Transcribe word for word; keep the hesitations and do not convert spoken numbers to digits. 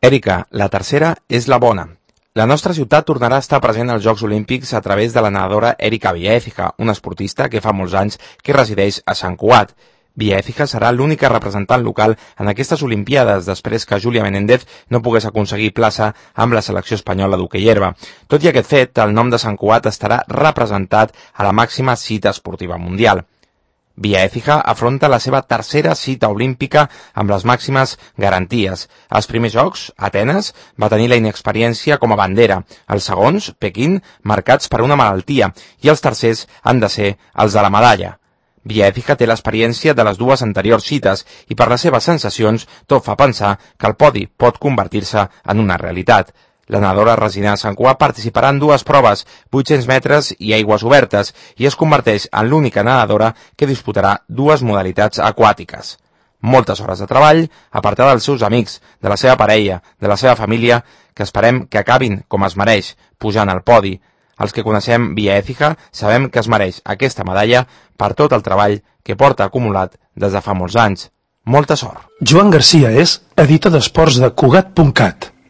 Èrica, la tercera és la bona. La nostra ciutat tornarà a estar present als Jocs Olímpics a través de la nedadora Èrica Villa-Écija, una esportista que fa molts anys que resideix a Sant Cugat. Villa-Écija serà l'única representant local en aquestes Olimpiades després que Júlia Menéndez no pogués aconseguir plaça amb la selecció espanyola d'hoquei herba. Tot i aquest fet, el nom de Sant Cugat estarà representat a la màxima cita esportiva mundial. Villa-Écija afronta la seva tercera cita olímpica amb les màximes garanties. Als primers jocs, Atenes va tenir la inexperiència com a bandera, els segons, Pequín, marcats per una malaltia, i els tercers han de ser els de la medalla. Villa-Écija té l'experiència de les dues anteriors cites i per les seves sensacions tot fa pensar que el podi pot convertir-se en una realitat. La nedadora resident a Sant Cugat participarà en dues proves, vuit-cents metres i aigües obertes, i es converteix en l'única nedadora que disputarà dues modalitats aquàtiques. Moltes hores de treball, apartada dels seus amics, de la seva parella, de la seva família, que esperem que acabin com es mereix, pujant al podi. Els que coneixem Villa-Écija sabem que es mereix aquesta medalla per tot el treball que porta acumulat des de fa molts anys. Molta sort. Joan Garcia és editor d'esports de Cugat punt cat.